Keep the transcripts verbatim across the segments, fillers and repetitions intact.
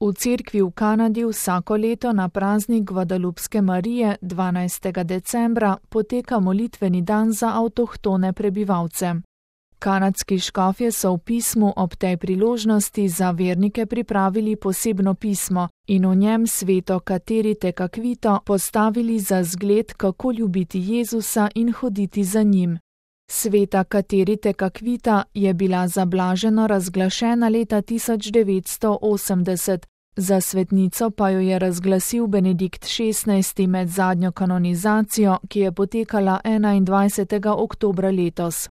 V cerkvi v Kanadi vsako leto na praznik Guadalupske Marije dvanajstega decembra poteka molitveni dan za avtohtone prebivalce. Kanadski škofje so v pismu ob tej priložnosti za vernike pripravili posebno pismo in v njem sveto Kateri Tekakwito postavili za zgled, kako ljubiti Jezusa in hoditi za njim. Sveta Kateri Tekakwita je bila za blaženo razglašena leta tisoč devetsto osemdeset, za svetnico pa jo je razglasil Benedikt šestnajsti med zadnjo kanonizacijo, ki je potekala enaindvajsetega oktobra letos.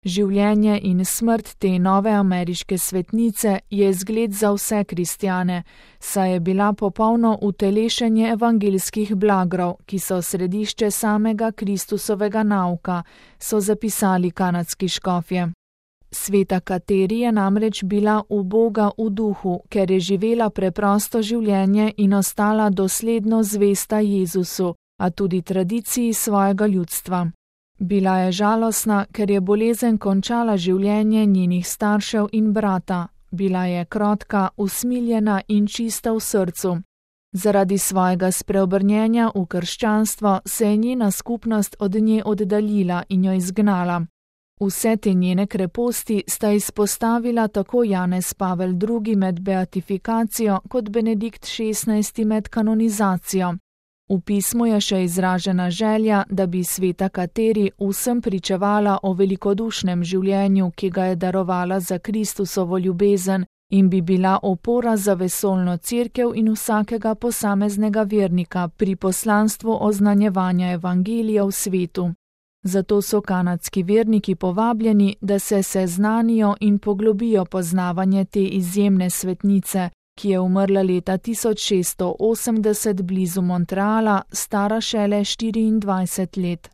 Življenje in smrt te nove ameriške svetnice je zgled za vse kristjane, saj je bila popolno utelešenje evangeljskih blagrov, ki so središče samega Kristusovega nauka, so zapisali kanadski škofje. Sveta Kateri je namreč bila uboga v duhu, ker je živela preprosto življenje in ostala dosledno zvesta Jezusu, a tudi tradiciji svojega ljudstva. Bila je žalostna, ker je bolezen končala življenje njenih staršev in brata. Bila je krotka, usmiljena in čista v srcu. Zaradi svojega spreobrnjenja v krščanstvo se je njena skupnost od nje oddaljila in jo izgnala. Vse te njene kreposti sta izpostavila tako Janez Pavel drugi med beatifikacijo kot Benedikt šestnajsti med kanonizacijo. V pismu je še izražena želja, da bi sveta Kateri vsem pričevala o velikodušnem življenju, ki ga je darovala za Kristusovo ljubezen in bi bila opora za vesoljno cerkev in vsakega posameznega vernika pri poslanstvu oznanjevanja evangelija v svetu. Zato so kanadski verniki povabljeni, da se seznanijo in poglobijo poznavanje te izjemne svetnice, ki je umrla leta tisoč šeststo osemdeset blizu Montreala, stara šele štiriindvajset let.